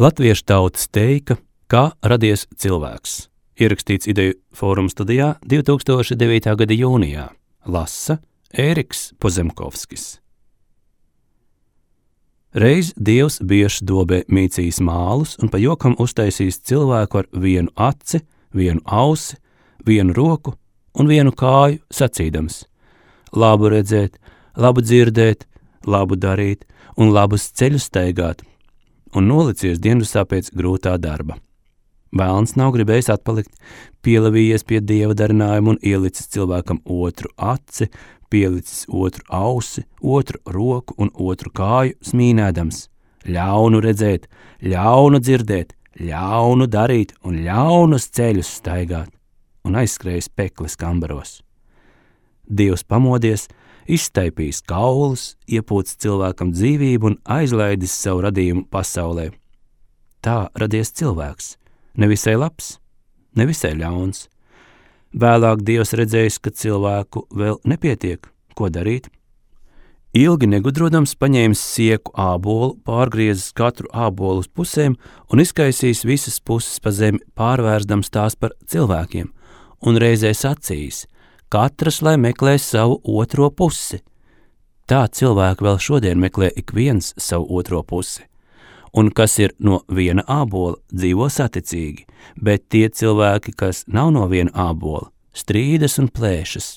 Latviešu tautas teika, kā radies cilvēks. Ierakstīts Ideju fóruma studijā 2009. gada jūnijā. Lasa Ēriks Pozemkovskis. Reiz Dievs biešu dobē mīcījis mālus un pa jokam uztaisījis cilvēku ar vienu aci, vienu ausi, vienu roku un vienu kāju, sacīdams: labu redzēt, labu dzirdēt, labu darīt un labus ceļus staigāt, un nolicies dienasā pēc grūtā darba. Velns nav gribējis atpalikt, pielavījies pie Dieva darinājuma un ielicis cilvēkam otru aci, pielicis otru ausi, otru roku un otru kāju, smīnēdams: ļaunu redzēt, ļaunu dzirdēt, ļaunu darīt un ļaunus ceļus staigāt, un aizskrējis pekles kambaros. Dievs pamodies, izstaipījis kaulus, iepūcis cilvēkam dzīvību un aizlaidis savu radījumu pasaulē. Tā radies cilvēks, nevisai labs, nevisai ļauns. Vēlāk Dievs redzējis, ka cilvēku vēl nepietiek, ko darīt. Ilgi negudrodams paņēmis sieku ābolu, pārgriezis katru ābolu uz pusēm un izkaisījis visas puses pa zemi, pārvērsdams tās par cilvēkiem, un reizē sacījis: katrs lai meklē savu otro pusi. Tā cilvēki vēl šodien meklē ik viens savu otro pusi. Un kas ir no viena ābola, dzīvo saticīgi, bet tie cilvēki, kas nav no viena ābola, strīdas un plēšas.